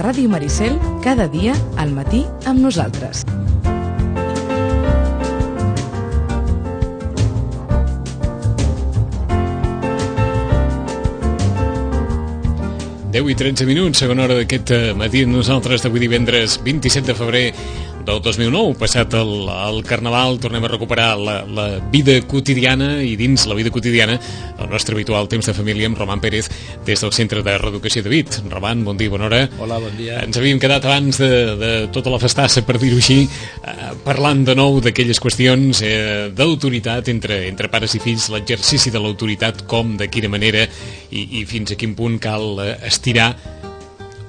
Ràdio Maricel, cada dia al matí amb nosaltres. Deu i 13 minuts, segona hora d'aquest matí amb nosaltres d'avui divendres 27 de febrer del 2009. Passat el Carnaval, tornem a recuperar la vida quotidiana, i dins la vida quotidiana el nostre habitual temps de família amb Roman Pérez des del Centre de Reeducació de Vic. Roman, bon dia, bona hora. Hola, bon dia. Ens havíem quedat abans de tota la festassa, per dir-ho així, parlant de nou d'aquelles qüestions d'autoritat entre pares i fills, l'exercici de l'autoritat, com, de quina manera i fins a quin punt cal estirar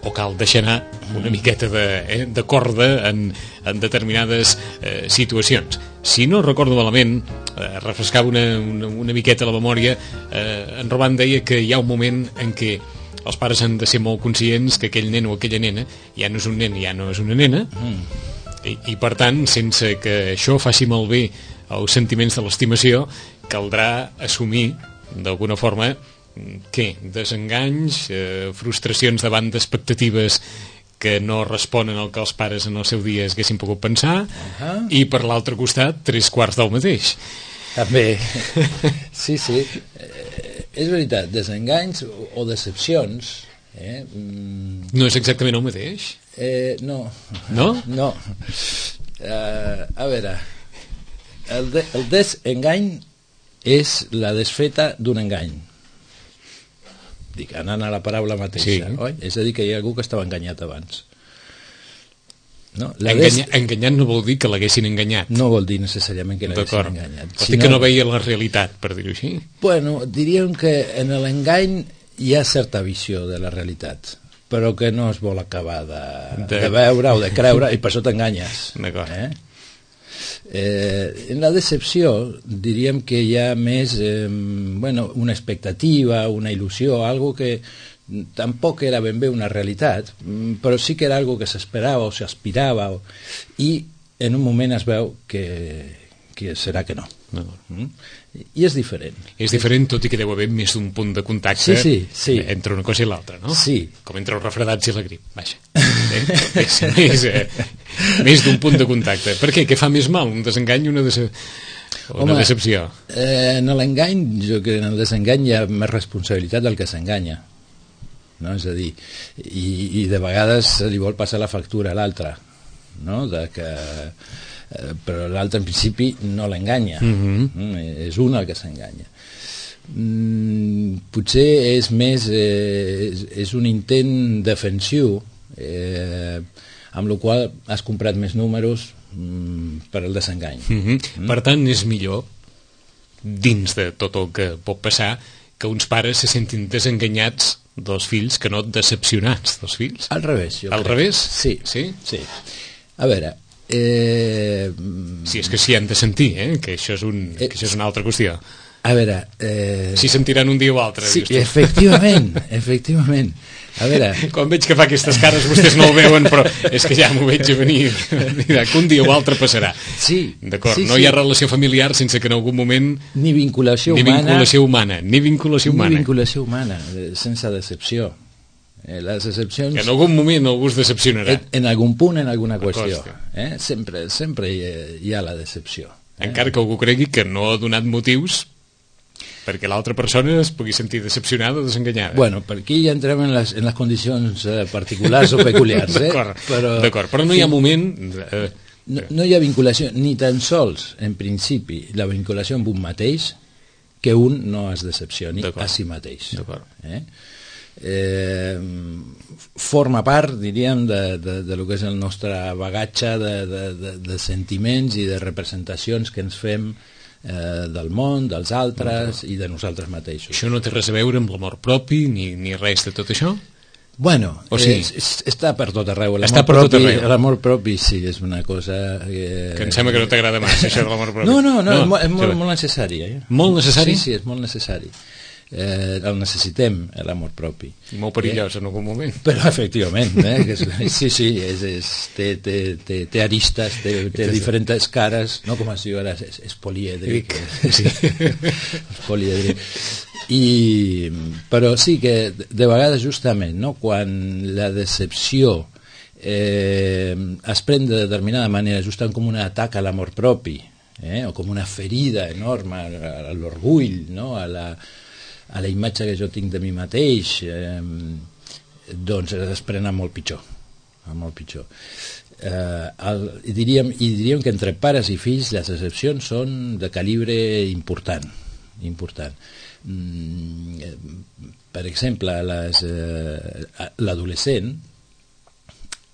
o cal deixar anar una miqueta de corda en determinades situacions. Si no recordo malament, refrescava una miqueta la memòria, en Roman deia que hi ha un moment en què els pares han de ser molt conscients que aquell nen o aquella nena ja no és un nen, ja no és una nena, i per tant, sense que això faci malbé els sentiments de l'estimació, caldrà assumir d'alguna forma desenganys, frustracions davant d'expectatives que no responen al que els pares en el seu dia haguessin pogut pensar, i per l'altre costat 3/4 del mateix. També, sí, és veritat, desenganys o decepcions no és exactament el mateix? No. No? A veure, el desengany és la desfeta d'un engany. Dic, anant a la paraula mateixa, oi? És a dir, que hi ha algú que estava enganyat abans. No? Enganyat no vol dir que l'haguessin enganyat. No vol dir necessàriament que l'haguessin enganyat. Vol dir que no veia la realitat, per dir-ho així. Bueno, diríem que en l'engany hi ha certa visió de la realitat, però que no es vol acabar de veure o de creure, i per això t'enganyes. D'acord. En la decepció diríem que hi ha més una expectativa, una il·lusió, algo que tampoc era ben bé una realitat, però sí que era algo que s'esperava o s'aspirava, i en un moment es veu que serà que no. I és diferent. És diferent, tot i que deu haver més d'un punt de contacte entre una cosa i l'altra, no? Sí. Com entre els refredats i la grip, vaja. Més d'un punt de contacte. Per què? Què fa més mal? Un desengany o una decepció? En l'engany, jo crec que en el desengany hi ha més responsabilitat del que s'enganya. No? És a dir, i de vegades se li vol passar la factura a l'altre, no? Però l'altre en principi no l'enganya, és un el que s'enganya. Potser és més és un intent defensiu, amb la qual has comprat més números per al desengany. Per tant, és millor, dins de tot el que pot passar, que uns pares se sentin desenganyats dels fills que no decepcionats dels fills. Al revés, jo crec. Al revés? Sí. A veure, si és que s'hi han de sentir, que això és una altra qüestió. A veure, si sentiran un dia o altre. Sí, efectivament. A veure, quan veig que fa aquestes cares, vostès no ho veuen, però és que ja m'ho veig a venir, que un dia o altre passarà. Sí. D'acord, no hi ha relació familiar sense que en algun moment ni vinculació humana, sense decepció. Les decepcions... Que en algun moment algú es decepcionarà. En algun punt, en alguna qüestió. Sempre hi ha la decepció. Encara que algú cregui que no ha donat motius perquè l'altra persona es pugui sentir decepcionada o desenganyada. Bueno, per aquí ja entrem en les condicions particulars o peculiars. D'acord, però no hi ha moment... No hi ha vinculació, ni tan sols, en principi, la vinculació amb un mateix, que un no es decepcioni a si mateix. Forma part, diríem, de lo que és el nostre bagatge de sentiments i de representacions que ens fem del món, dels altres i de nosaltres mateixos. Això no té res a veure amb l'amor propi ni res de tot això? Bueno, està per tot arreu. L'amor propi sí, és una cosa... Que em sembla que no t'agrada massa, això de l'amor propi. No, és molt necessari. Molt necessari? Sí, és molt necessari. El necessitem, l'amor propi. Molt perillós en algun moment. Però efectivament, sí, té aristes, té diferents cares, no com es diu ara, és polièdric. És polièdric. Però sí que de vegades justament, no? Quan la decepció es pren de determinada manera, justament com un atac a l'amor propi, o com una ferida enorme a l'orgull, no? a la imatge que jo tinc de mi mateix, doncs es pren a molt pitjor. I diríem que entre pares i fills les decepcions són de calibre important. Per exemple, l'adolescent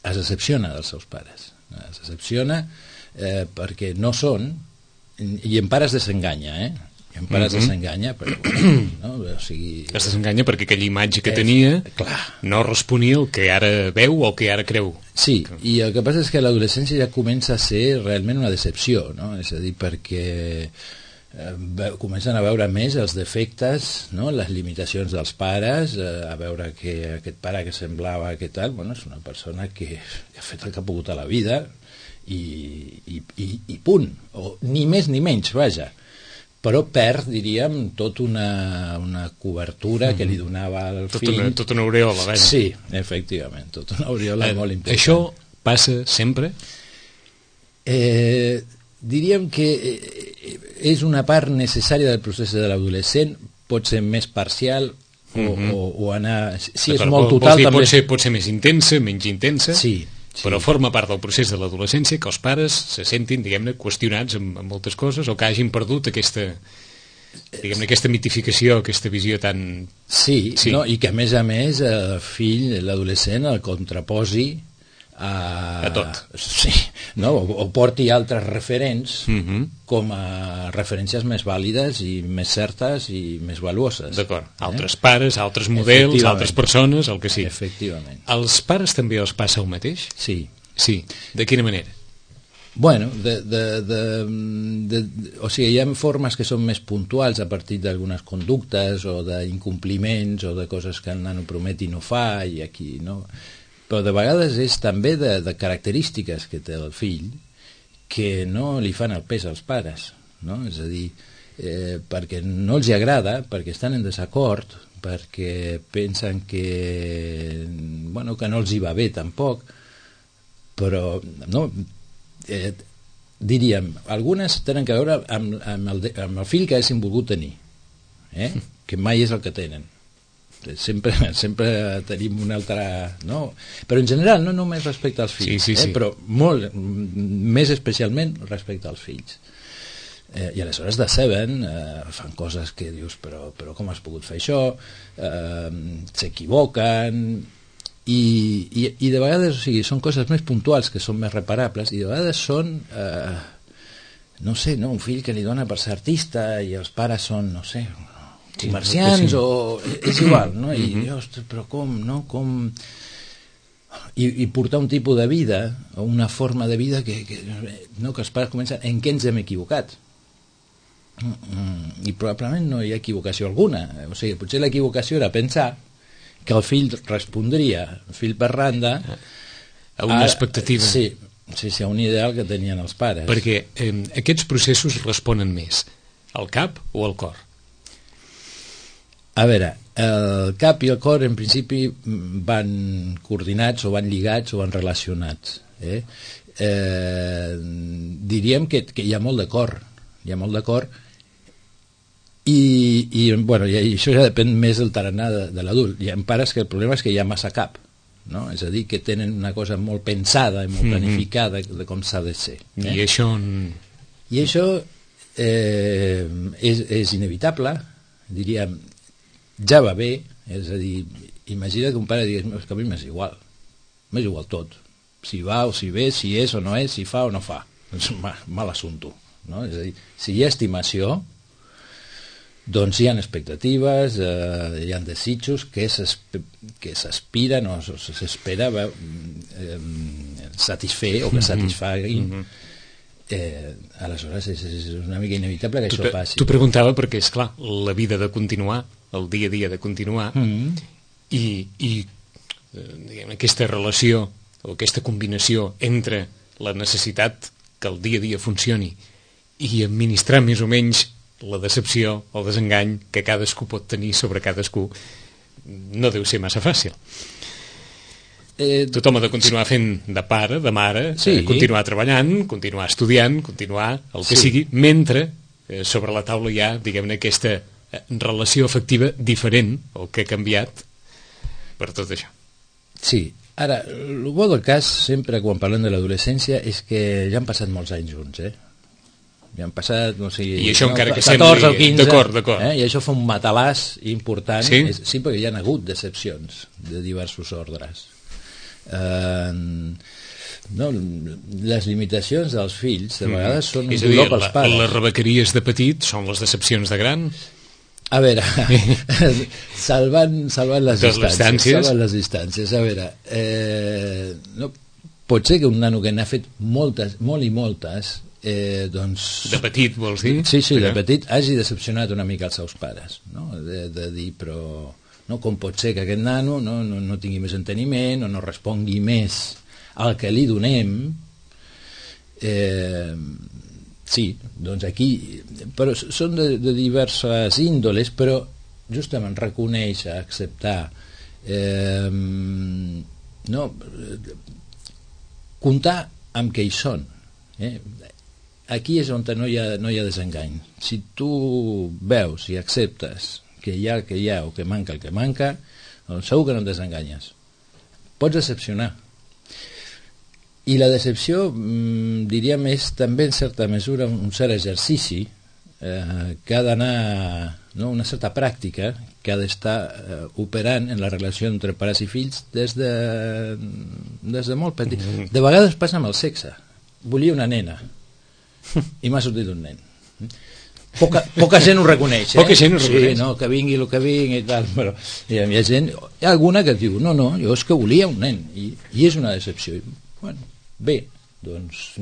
es decepciona dels seus pares, es decepciona perquè no són, i en pares desenganya, en pares desenganya, però no? O sigui, es desenganya perquè aquella imatge que tenia no responia al que ara veu o el que ara creu. Sí, i el que passa és que l'adolescència ja comença a ser realment una decepció, no? És a dir, perquè comencen a veure més els defectes, no? Les limitacions dels pares, a veure que aquest pare que semblava que tal, bueno, és una persona que ha fet el que ha pogut a la vida i punt, o ni més ni menys, vaja, però perd, diríem, tota una cobertura que li donava al fill. Tota una aureola, vaja. Sí, efectivament, tota una aureola molt important. Això passa sempre? Diríem que és una part necessària del procés de l'adolescent, pot ser més parcial o anar... Si és molt total, també... Pot ser més intensa, menys intensa, sí, però forma part del procés de l'adolescència que els pares se sentin, diguem-ne, qüestionats en moltes coses o que hagin perdut aquesta mitificació, aquesta visió tan... Sí. No? I que a més el fill, l'adolescent, el contraposi a tot. Sí, no? O porti altres referents com a referències més vàlides i més certes i més valuoses. D'acord, altres pares, altres models, altres persones, el que sigui. Efectivament. Als pares també els passa el mateix? Sí. Sí, de quina manera? Bueno, o sigui, hi ha formes que són més puntuals a partir d'algunes conductes o d'incompliments o de coses que el nano promet i no fa, i aquí, no? Però de vegades és també de característiques que té el fill que no li fan el pes als pares, no? És a dir, perquè no els agrada, perquè estan en desacord, perquè pensen que no els hi va bé tampoc, però no, diríem, algunes tenen a veure amb el fill que haguessin volgut tenir, que mai és el que tenen. Sempre tenim una altra, no? Però en general no només respecte als fills, sí. però molt més especialment respecte als fills, i aleshores deceben, fan coses que dius però com has pogut fer això, s'equivoquen i de vegades, o sigui, són coses més puntuals que són més reparables, i de vegades són no sé, no? Un fill que li dona per ser artista i els pares són, no sé, comerciants, o és igual, no? I ostres, però com, no? Com... I portar un tipus de vida o una forma de vida que els pares comencen en què ens hem equivocat, i probablement no hi ha equivocació alguna, o sigui, potser l'equivocació era pensar que el fill respondria, el fill per randa, a una expectativa, sí, a un ideal que tenien els pares, perquè aquests processos responen més al cap o al cor? A veure, el cap i el cor en principi van coordinats o van lligats o van relacionats. Diríem que hi ha molt de cor, i això ja depèn més del tarannà de l'adult. Hi ha pares que el problema és que hi ha massa cap, no? És a dir, que tenen una cosa molt pensada i molt planificada de com s'ha de ser. I això és inevitable, diríem. Ja va bé, és a dir, imagina que un pare digués, que a mi m'és igual tot, si va o si ve, si és o no és, si fa o no fa, és mal assumpte, no? És a dir, si hi ha estimació, doncs hi ha expectatives, hi ha desitjos que s'aspiren o s'espera satisfer o que satisfaguin. Aleshores és una mica inevitable que això passi. T'ho preguntava perquè, esclar, la vida de continuar, el dia a dia de continuar, i aquesta relació o aquesta combinació entre la necessitat que el dia a dia funcioni i administrar més o menys la decepció, el desengany que cadascú pot tenir sobre cadascú no deu ser massa fàcil. Tothom ha de continuar fent de pare, de mare, continuar treballant, continuar estudiant, continuar el que sigui, mentre sobre la taula hi ha, diguem-ne, aquesta relació afectiva diferent, el que ha canviat per tot això. Sí. Ara, el bo del cas, sempre quan parlem de l'adolescència, és que ja han passat molts anys junts, Ja han passat, no sé... I això encara que 14 o 15... D'acord. I això fa un matalàs important. Sí? Sí, perquè hi ha hagut decepcions de diversos ordres. No, les limitacions dels fills de vegades són un dolor pels pares. Les rebequeries de petit són les decepcions de gran? A veure, salvant les distàncies, a veure, no, pot ser que un nano que n'ha fet moltes, molt i moltes, doncs... De petit, vols dir? Sí, de petit hagi decepcionat una mica els seus pares, no? De dir, però no, com pot ser que aquest nano no tingui més enteniment o no respongui més al que li donem. Sí, doncs aquí, però són de diverses índoles, però justament reconèixer, acceptar, no, comptar amb què hi són. Aquí és on no hi ha desengany. Si tu veus i acceptes que hi ha el que hi ha o que manca el que manca, doncs segur que no et desenganyes. Pots decepcionar. I la decepció, diríem, és també en certa mesura un cert exercici que ha d'anar, no, una certa pràctica que ha d'estar operant en la relació entre pares i fills des de molt petit. De vegades passa amb el sexe. Volia una nena i m'ha sortit un nen. Poca gent ho reconeix. Poca gent ho reconeix. Sí, no, que vingui el que vingui i tal, però hi ha gent, hi ha alguna que diu, no, jo és que volia un nen i és una decepció. Bueno, bé, doncs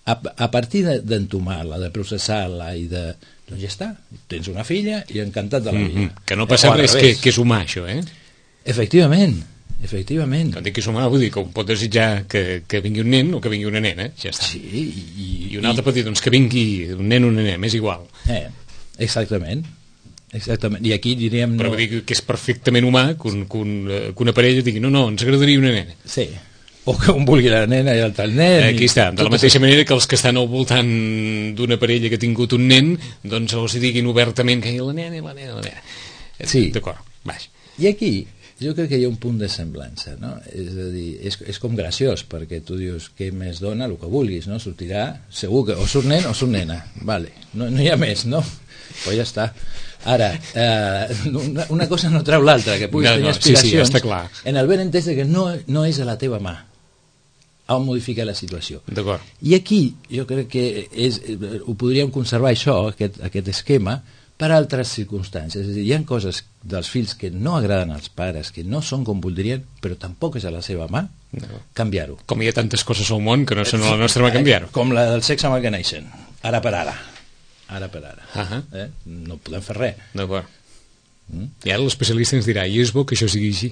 a partir d'entomar-la, de processar-la i de... doncs ja està, tens una filla i encantat de la vida. Que no passa res, que és humà això, Efectivament. Quan dic que és humà vull dir que pot desitjar que vingui un nen o que vingui una nena, ja està. Sí, i un altre pot dir, doncs que vingui un nen o una nena, m'és igual. Exactament. I aquí diríem... Però vull dir que és perfectament humà que una parella digui, no, ens agradaria una nena. Sí, o que un vulgui la nena i l'altre el nen. Aquí està, de la mateixa manera que els que estan al voltant d'una parella que ha tingut un nen, doncs els diguin obertament que la nena. Sí. D'acord, baix. I aquí jo crec que hi ha un punt de semblança, no? És a dir, és com graciós, perquè tu dius què més dona, el que vulguis, no? Sortirà, segur que o surt nen o surt nena, vale, no hi ha més, no? Pues ja està. Ara, una cosa no treu l'altra, que puguis tenir aspiracions, sí, està clar. En el ben entès que no és a la teva mà a modificar la situació. D'acord. I aquí jo crec que ho podríem conservar això, aquest esquema, per altres circumstàncies. És a dir, hi ha coses dels fills que no agraden als pares, que no són com voldrien, però tampoc és a la seva mà canviar-ho. Com hi ha tantes coses al món que no són a la nostra mà canviar-ho. Com la del sexe amb el que neixen, ara per ara. No podem fer res. D'acord. I ara l'especialista ens dirà, i és bo que això sigui així?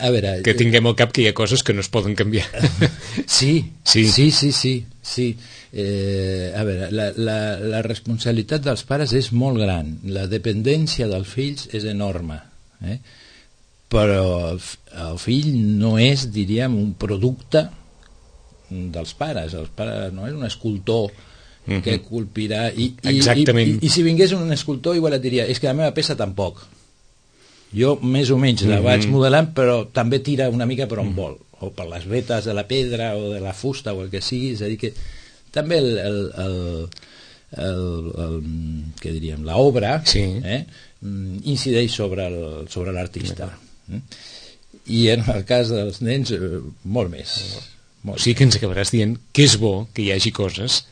A veure, que tinguem al cap que hi ha coses que no es poden canviar. Sí. A veure, la responsabilitat dels pares és molt gran, la dependència dels fills és enorme, però el fill no és, diríem, un producte dels pares. El pare no és un escultor que culpirà i si vingués un escultor igual et diria, és que la meva peça tampoc, jo més o menys la vaig modelant, però també tira una mica per on vol, o per les vetes de la pedra o de la fusta o el que sigui. És a dir que també què diríem, l'obra incideix sobre l'artista. I en el cas dels nens molt més. O sigui que ens acabaràs dient que és bo que hi hagi coses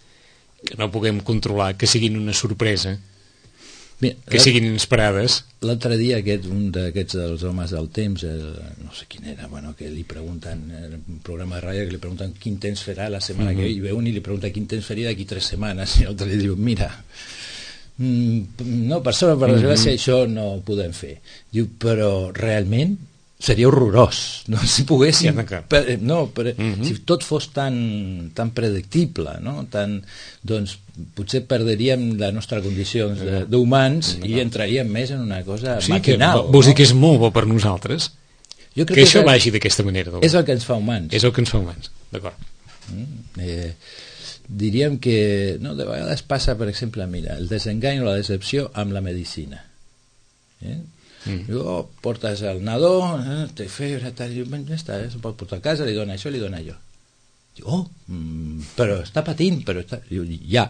que no puguem controlar, que siguin una sorpresa, que siguin inesperades. L'altre dia un d'aquests dels homes del temps, no sé quin era, que li pregunten, un programa de ràdio que li pregunten quin temps farà la setmana que ve, i ve un i li pregunta quin temps faria d'aquí 3 setmanes, i l'altre li diu, mira, no, per desgràcia això no ho podem fer. Diu, però realment seria horrorós, no? Si poguéssim si tot fos tan predictible, no? Doncs potser perdríem la nostra condició d'humans i entraríem més en una cosa maquinal. Vols dir que és molt bo per nosaltres que això vagi d'aquesta manera? És el que ens fa humans. És el que ens fa humans, d'acord. Diríem que de vegades passa, per exemple, mira, el desengany o la decepció amb la medicina. Portes el nadó, té febre, ja està, se'l pot portar a casa, li dona això, li dona allò. Diu, però està patint, diu, ja,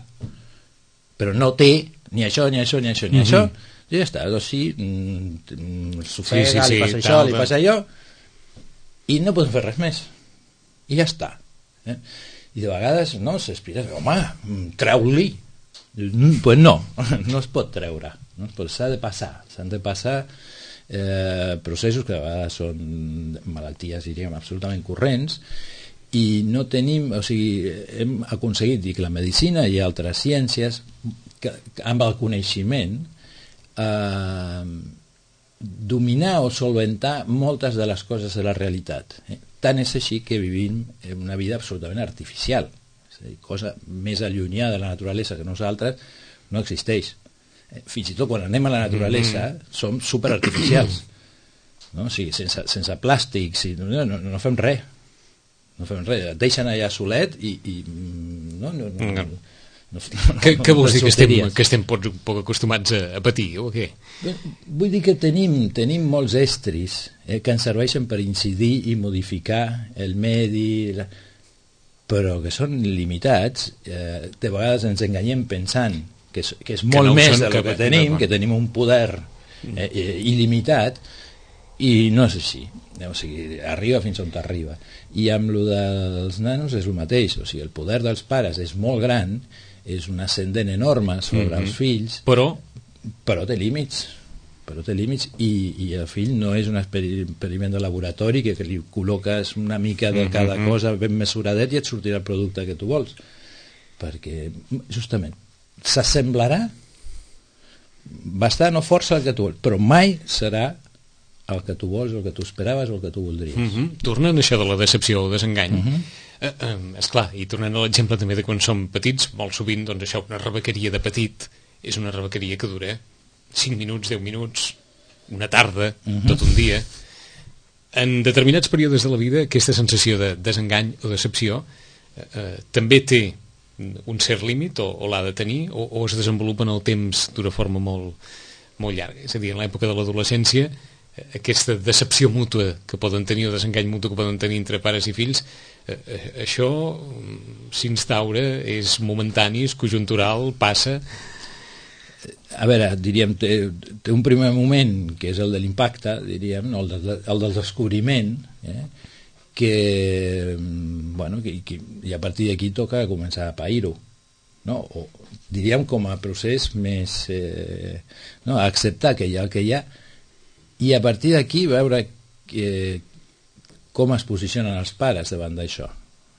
però no té ni això, ni això, ni això, ni això, i ja està, doncs sí, s'ofega, li passa això, li passa allò, i no podem fer res més, i ja està. I de vegades s'aspira, home, treu-li. Pues no es pot treure, s'han de passar processos que a vegades són malalties, diríem, absolutament corrents, i no tenim, o sigui, hem aconseguit dir que la medicina i altres ciències amb el coneixement dominar o solventar moltes de les coses de la realitat. Tant és així que vivim una vida absolutament artificial, és a dir, cosa més allunyada de la naturalesa que nosaltres no existeix. Fins i tot quan anem a la naturalesa som superartificials, no? O sigui, sense plàstics, no fem res, et deixen allà solet i Què vols dir, que estem poc acostumats a patir o què? Vull dir que tenim molts estris que ens serveixen per incidir i modificar el medi, però que són limitats. De vegades ens enganyem pensant que és molt més del que tenim, que tenim un poder il·limitat, i no és així. O sigui, arriba fins on t'arriba. I amb lo dels nanos és el mateix, o sigui, el poder dels pares és molt gran, és un ascendent enorme sobre els fills, però té límits, i el fill no és un experiment de laboratori que li col·loques una mica de cada cosa ben mesuradet i et sortirà el producte que tu vols, perquè justament s'assemblarà bastant o força el que tu vols, però mai serà el que tu vols, el que tu esperaves o el que tu voldries. Tornant a això de la decepció o desengany, esclar, i tornant a l'exemple també de quan som petits, molt sovint doncs això, una rebequeria de petit és una rebequeria que dura 5 minuts, 10 minuts, una tarda, tot un dia. En determinats períodes de la vida aquesta sensació de desengany o decepció també té un cert límit o l'ha de tenir o es desenvolupa en el temps d'una forma molt, molt llarga, és a dir, en l'època de l'adolescència aquesta decepció mútua que poden tenir o desengany mutu que poden tenir entre pares i fills, això s'instaura, és momentani, és conjuntural, passa. A veure, diríem, té un primer moment que és el de l'impacte, diríem, el del descobriment, que i a partir d'aquí toca començar a pair-ho, no? O diríem com a procés més a acceptar que hi ha el que hi ha, i a partir d'aquí veure com es posicionen els pares davant d'això.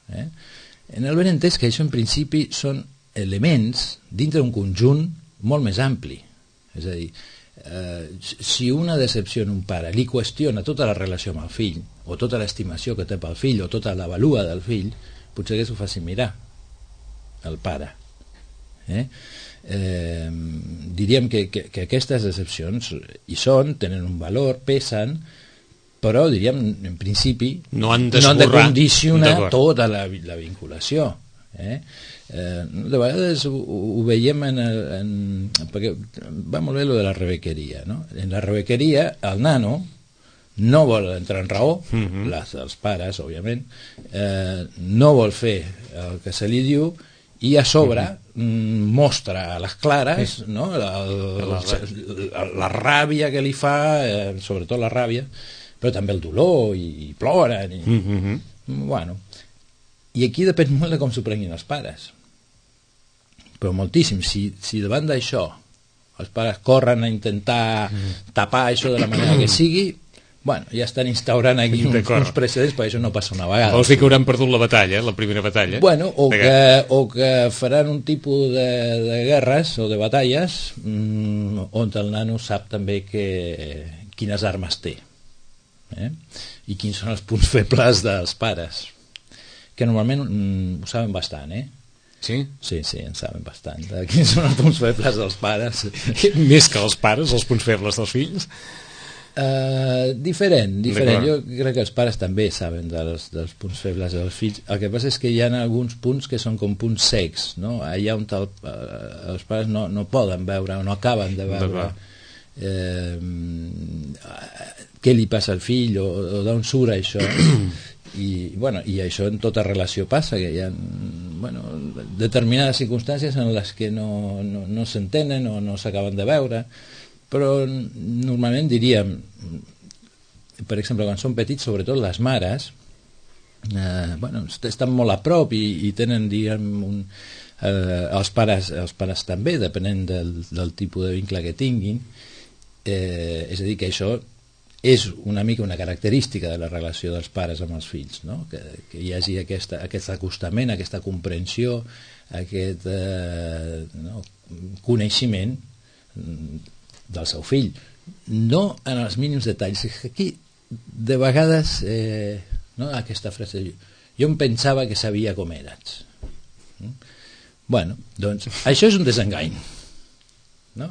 En el benentès que això en principi són elements dintre d'un conjunt molt més ampli. És a dir, si una decepció en un pare li qüestiona tota la relació amb el fill, o tota l'estimació que té pel fill, o tota la valua del fill, potser que s'ho faci mirar el pare. Diríem que aquestes decepcions hi són, tenen un valor, pesen, però diríem en principi no han de condicionar tota la vinculació. De vegades ho veiem perquè va molt bé lo de la rebequeria, no? En la rebequeria el nano no vol entrar en raó, els pares òbviament, no vol fer el que se li diu i a sobre mostra a les clares la ràbia que li fa, sobretot la ràbia, però també el dolor, i ploren i aquí depèn molt de com s'ho prenguin els pares, però moltíssim. Si davant d'això els pares corren a intentar tapar això de la manera que sigui, ja estan instaurant aquí uns precedents, perquè això no passa una vegada. Vols dir que hauran perdut la batalla, la primera batalla? O que faran un tipus de guerres o de batalles on el nano sap també quines armes té, i quins són els punts febles dels pares, que normalment ho saben bastant, Sí? Sí, en saben bastant. Quins són els punts febles dels pares? Més que els pares, els punts febles dels fills? Diferent. Jo crec que els pares també saben dels punts febles dels fills. El que passa és que hi ha alguns punts que són com punts cecs, no? Allà on els pares no poden veure o no acaben de veure què li passa al fill o d'on surt això. I això en tota relació passa, que hi ha determinades circumstàncies en les que no s'entenen o no s'acaben de veure, però normalment diríem, per exemple, quan són petits, sobretot les mares estan molt a prop i tenen, diguem, els pares també, depenent del tipus de vincle que tinguin, és a dir, que això és una mica una característica de la relació dels pares amb els fills, no? Que hi hagi aquest acostament, aquesta comprensió, aquest coneixement del seu fill, no en els mínims detalls. Aquí de vegades aquesta frase, jo em pensava que sabia com eres. Doncs això és un desengany, no?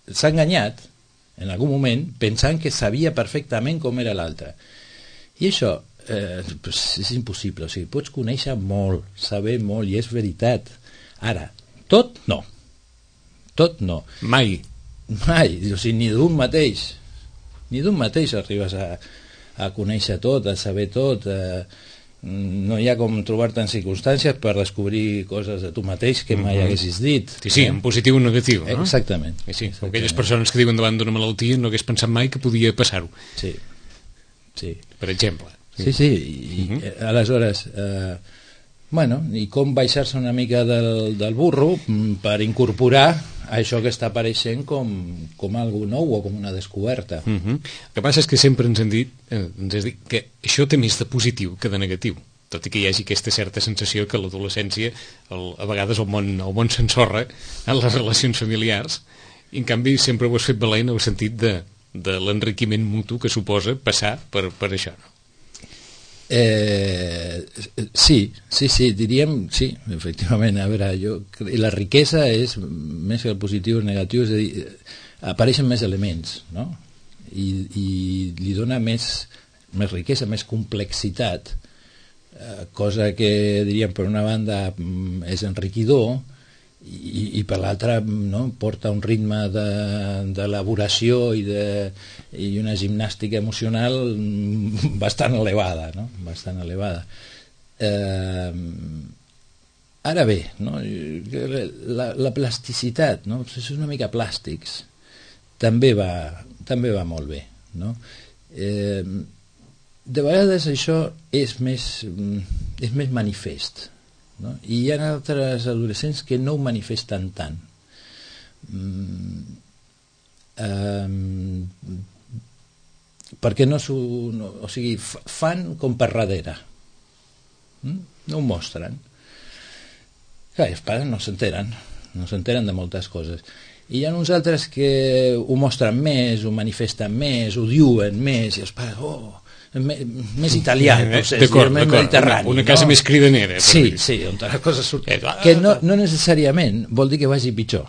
S'ha enganyat en algun moment pensant que sabia perfectament com era l'altre, i això és impossible. O sigui, pots conèixer molt, saber molt, i és veritat. Ara, tot no, mai, o sigui, ni d'un mateix arribes a conèixer tot, a saber tot. No hi ha com trobar-te en circumstàncies per descobrir coses de tu mateix que mai haguessis dit. Sí, en positiu o negatiu, no? Exactament. Sí, aquelles persones que diuen davant d'una malaltia no hagués pensat mai que podia passar-ho. Sí. Per exemple. Sí, i aleshores i com baixar-se una mica del burro per incorporar això que està apareixent com algo nou o com una descoberta. El que passa és que sempre ens has dit que això té més de positiu que de negatiu, tot i que hi hagi aquesta certa sensació que l'adolescència a vegades el món s'ensorra en les relacions familiars, i en canvi sempre ho has fet valer en el sentit de l'enriquiment mutu que suposa passar per això, no? Sí, diríem, sí, efectivament. A veure, la riquesa és més que el positiu o el negatiu, és a dir, apareixen més elements, no? I li dona més riquesa, més complexitat, cosa que diríem per una banda és enriquidor, i per l'altra, no, porta un ritme d'elaboració i una gimnàstica emocional bastant elevada, no? Bastant elevada. Ara bé, no? La plasticitat, no? És una mica plàstics, també va molt bé, no? De vegades això és més manifest, no? I hi ha altres adolescents que no ho manifesten tant, perquè o sigui, fan com per darrere, no ho mostren. Clar, els pares no s'enteren de moltes coses, i hi ha uns altres que ho mostren més, ho manifesten més, ho diuen més, i els pares, més italià, no sé, més mediterrani, una casa més cridanera. Sí, on les coses surten, que no necessàriament vol dir que vagi pitjor.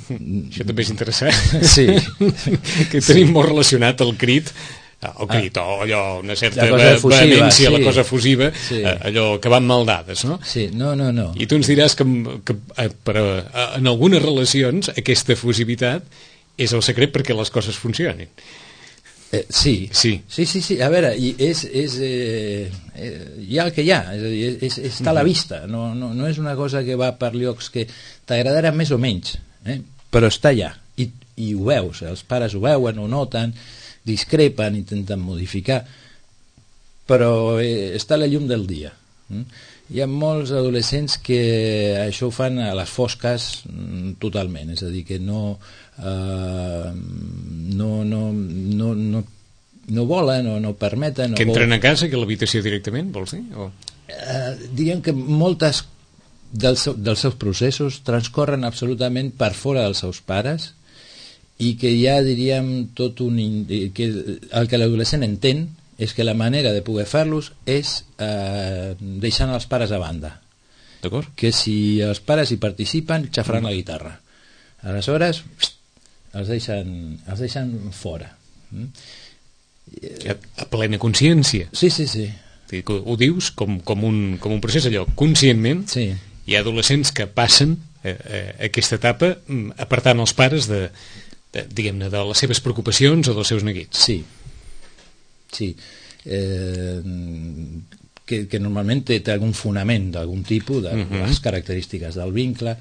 Això també és interessant. Sí. Que tenim molt relacionat el crit o allò, una certa vehemència, la cosa efusiva, allò que van mal dades, no? Sí, no. I tu ens diràs que en algunes relacions aquesta efusivitat és el secret perquè les coses funcionin. Sí. A veure, hi ha el que hi ha, és a dir, està a la vista, no és una cosa que va per llocs que t'agradarà més o menys, però està allà, i ho veus, els pares ho veuen, ho noten, discrepen, intenten modificar, però està a la llum del dia. Hi ha molts adolescents que això ho fan a les fosques totalment, és a dir, que no volen o no permeten. Que entren a casa, que a l'habitació directament, vols dir? Diguem que moltes dels seus processos transcorren absolutament per fora dels seus pares i que ja diríem tot que el que l'adolescent entén és que la manera de poder fer-los és deixant els pares a banda. D'acord? Que si els pares hi participen, xafaran la guitarra. Aleshores, els deixen fora. A plena consciència. Sí. Ho dius com un procés allò, conscientment. Sí. Hi ha adolescents que passen aquesta etapa apartant els pares diguem-ne, de les seves preocupacions o dels seus neguits. Sí. Que normalment té algun fonament d'algun tipus, de les característiques del vincle.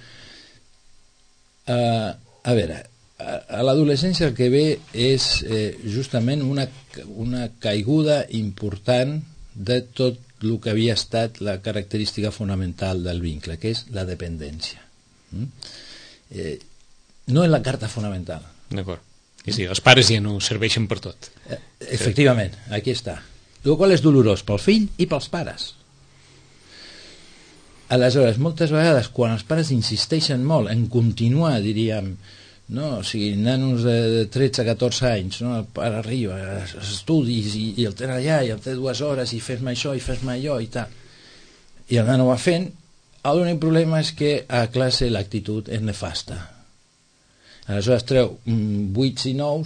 A veure, a l'adolescència el que ve és justament una caiguda important de tot el que havia estat la característica fonamental del vincle, que és la dependència. No és la carta fonamental. D'acord. És a dir, els pares ja no serveixen per tot. Efectivament, aquí està. El qual és dolorós pel fill i pels pares. Aleshores, moltes vegades, quan els pares insisteixen molt en continuar, diríem, no? O sigui, nanos de 13-14 anys, no? El pare arriba, estudis, i el tenen allà, i el té 2 hores, i fes-me això, i fes-me allò, i tal. I el nano va fent. L'únic problema és que a classe l'actitud és nefasta. Aleshores treu 8 i 9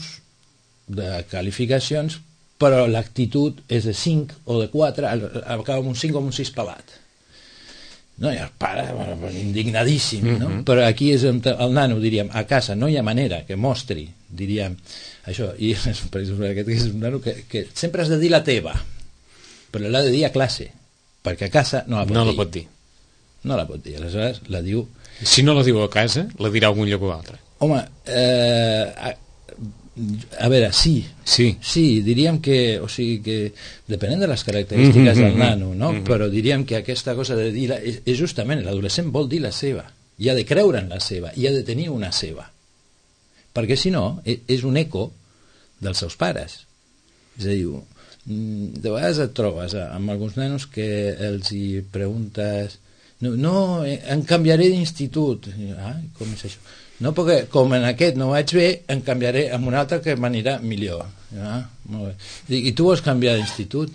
de qualificacions, però l'actitud és de 5 o de 4, acaba amb un 5 o amb un 6 pelat. No, i el pare, indignadíssim, no? Però aquí és on el nano, diríem, a casa no hi ha manera que mostri, diríem, això, i per exemple, aquest és un nano que sempre has de dir la teva, però l'ha de dir a classe, perquè a casa no la pot dir. No la pot dir, aleshores la diu... Si no la diu a casa, la dirà a algun lloc o altre. Home, a veure, sí, diríem que, o sigui que depenent de les característiques del nano, no? Però diríem que aquesta cosa de dir és justament, l'adolescent vol dir la seva, i ha de creure en la seva, i ha de tenir una seva, perquè si no és un eco dels seus pares. És a dir, de vegades et trobes amb alguns nanos que els hi preguntes em canviaré d'institut. Com és això? No, perquè com en aquest no vaig bé, em canviaré amb un altre que m'anirà millor. Molt bé. I tu vols canviar d'institut?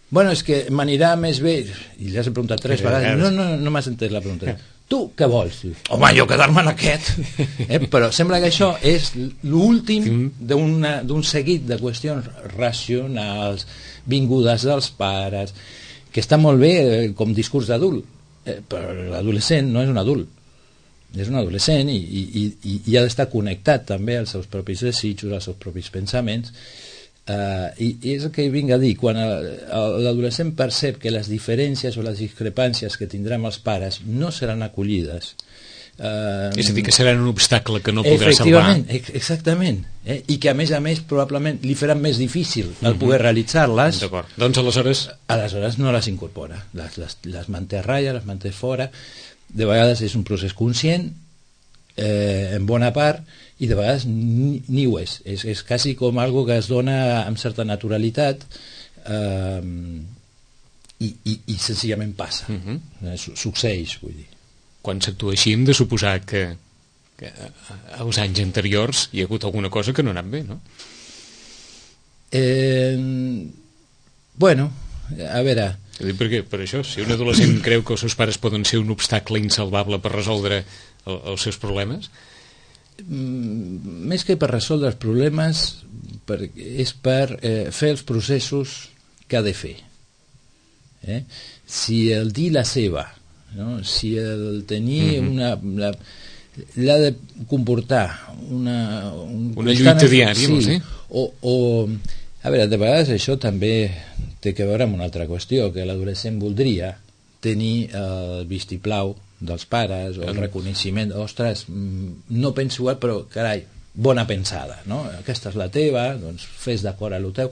Bueno, és que m'anirà més bé. I li has preguntat 3 vegades. No m'has entès la pregunta. Tu què vols? Home, jo quedar-me en aquest. Però sembla que això és l'últim d'un seguit de qüestions racionals, vingudes dels pares, que està molt bé com discurs d'adult, però l'adolescent no és un adult. És un adolescent i ha d'estar connectat també als seus propis desitjos, als seus propis pensaments, i és el que vinc a dir, quan l'adolescent percep que les diferències o les discrepàncies que tindrà amb els pares no seran acollides, és a dir, que seran un obstacle que no podrà salvar. Exactament, i que a més probablement li faran més difícil el poder realitzar-les. D'acord, doncs aleshores no les incorpora, les manté a ratlla, les manté fora. De vegades és un procés conscient, en bona part, i de vegades ni ho és. És quasi com algo que es dona amb certa naturalitat, i senzillament passa. Succeeix, vull dir. Quan s'actua així hem de suposar que als anys anteriors hi ha hagut alguna cosa que no ha anat bé, no? Bueno, a veure... Perquè, per això, si un adolescent creu que els seus pares poden ser un obstacle insalvable per resoldre els seus problemes... Més que per resoldre els problemes, és per fer els processos que ha de fer. Si el dir la seva, no? Si el tenir l'ha de comportar una lluita diària, sí, o a veure, de vegades això també té que veure amb una altra qüestió, que l'adolescent voldria tenir el vistiplau dels pares o el reconeixement, ostres, no penso igual, però carai, bona pensada, no? Aquesta és la teva, doncs fes d'acord a lo teu.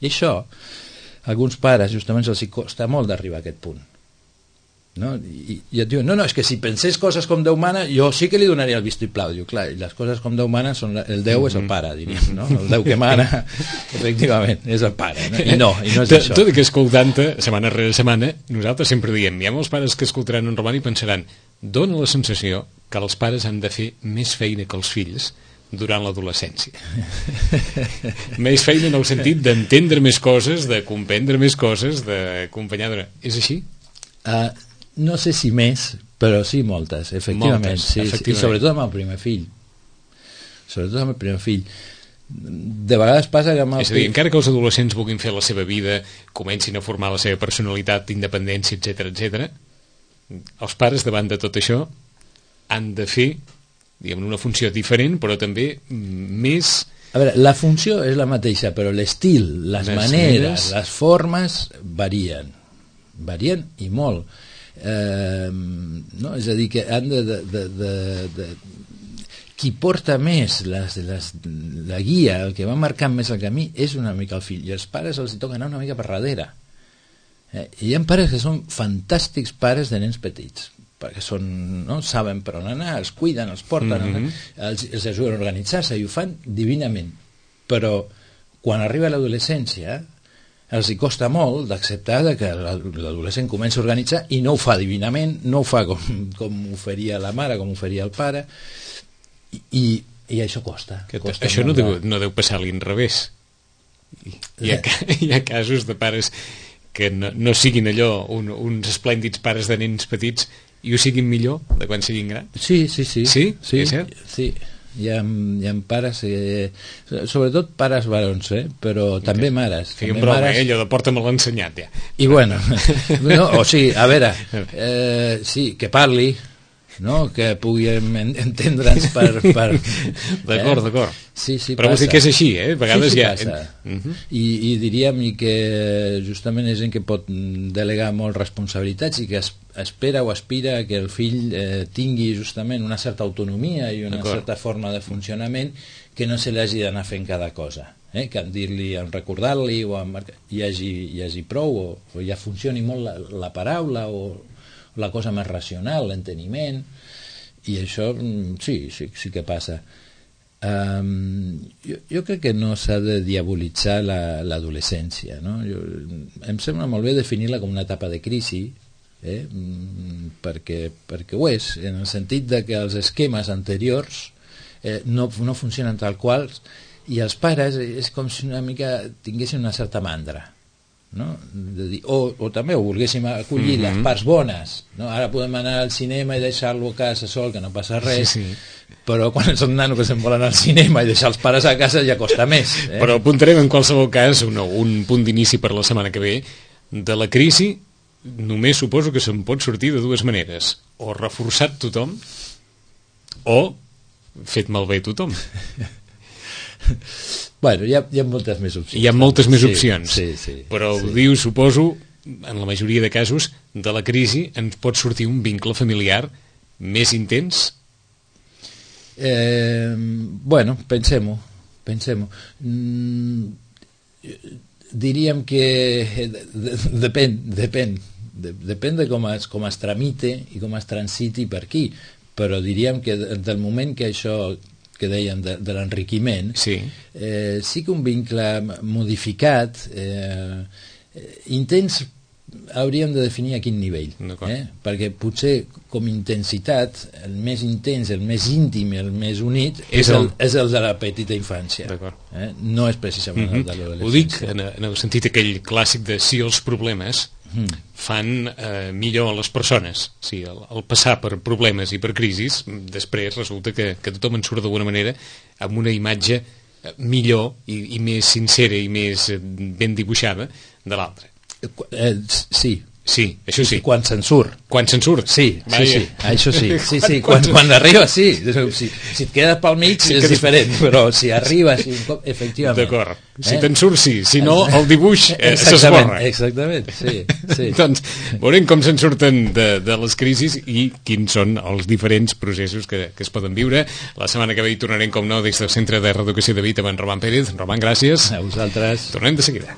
I això, a alguns pares justament els costa molt d'arribar a aquest punt, no? I et diuen, no, és que si pensés coses com Déu mana, jo sí que li donaria el vistiplau. Diu, clar, i les coses com Déu mana són el Déu és el pare, diríem, no? El Déu que mana, efectivament, és el pare, no? I no és això. Tot i que escoltant-te setmana rere setmana, nosaltres sempre diem, hi ha molts pares que escoltaran en Roman i pensaran, dona la sensació que els pares han de fer més feina que els fills durant l'adolescència. Més feina en el sentit d'entendre més coses, de comprendre més coses, d'acompanyar... És així? No sé si més, però sí moltes, efectivament. Moltes, sí, efectivament. I sobretot amb el primer fill. De vegades passa que amb el És a dir, encara que els adolescents vulguin fer la seva vida, comencin a formar la seva personalitat, independència, etc., els pares, davant de tot això, han de fer, diguem, una funció diferent, però també més... A veure, la funció és la mateixa, però l'estil, les maneres, les formes varien i molt. No? És a dir, que han de qui porta més la guia, el que va marcant més el camí, és una mica el fill, i els pares els toca anar una mica per darrere. I hi ha pares que són fantàstics pares de nens petits, perquè no? Saben per on anar, els cuiden, els porten, els ajuden a organitzar-se i ho fan divinament, però quan arriba l'adolescència els hi costa molt d'acceptar que l'adolescent comença a organitzar i no ho fa divinament, no ho fa com ho faria la mare, com ho faria el pare, i això costa. Això no deu passar a l'inrevés. Hi ha casos de pares que no siguin allò uns esplèndids pares de nens petits i ho siguin millor de quan siguin grans? Sí. Sí? És cert? Sí. Hi ha pares, sobretot pares barons, però també mares. Feia un broma, allò de porta-me-l'ha ensenyat, ja. I bueno, o sigui, a veure, sí, que parli, no? Que puguem entendre'ns per... D'acord. Sí, però vols dir que és així, a vegades sí, ja... Passa. I diríem que justament és gent que pot delegar molt responsabilitats i que espera o aspira que el fill tingui justament una certa autonomia i una certa forma de funcionament, que no se li hagi d'anar fent cada cosa, que en dir-li, en recordar-li o en hi hagi prou o ja funcioni molt la paraula o la cosa més racional, l'enteniment, i això sí que passa. Jo crec que no s'ha de diabolitzar l'adolescència, no? Em sembla molt bé definir-la com una etapa de crisi, perquè ho és, en el sentit de que els esquemes anteriors no funcionen tal qual, i els pares és com si una mica tinguessin una certa mandra, no? De dir, o també ho volguéssim acollir les parts bones, no? Ara podem anar al cinema i deixar-lo a casa sol, que no passa res, però quan són nanos que se'n volen al cinema i deixar els pares a casa ja costa més, Però apuntarem en qualsevol cas un punt d'inici per la setmana que ve. De la crisi només suposo que se'n pot sortir de dues maneres: o reforçat tothom o fet malbé tothom. Bueno, hi ha moltes més opcions. Hi ha moltes més opcions. Sí. Però ho diu, suposo, en la majoria de casos, de la crisi ens pot sortir un vincle familiar més intens? Bueno, pensem-ho. Diríem que depèn de com es tramite i com es transiti per aquí, però diríem que del moment que això que dèiem de l'enriquiment, sí que un vincle modificat, intens, hauríem de definir a quin nivell, perquè potser com intensitat el més intens, el més íntim, el més unit és el de la petita infància, no és precisament el de l'adolescència. Ho dic en el sentit aquell clàssic de si els problemes fan millor a les persones. Sí, al passar per problemes i per crisis, després resulta que tothom en surt d'alguna manera amb una imatge millor i més sincera i més ben dibuixada de l'altre. Sí, això sí. Quan se'n surt. Sí, això sí. Sí. Quan arriba, sí. Si et quedes pel mig és diferent, però si arribes, efectivament. D'acord. Si te'n surt, sí. Si no, el dibuix s'esborra. Exactament, sí. Doncs veurem com se'n surten de les crisis i quins són els diferents processos que es poden viure. La setmana que ve hi tornarem, com no, des del Centre de Reeducació de Vita amb en Roman Pérez. Roman, gràcies. A vosaltres. Tornem de seguida.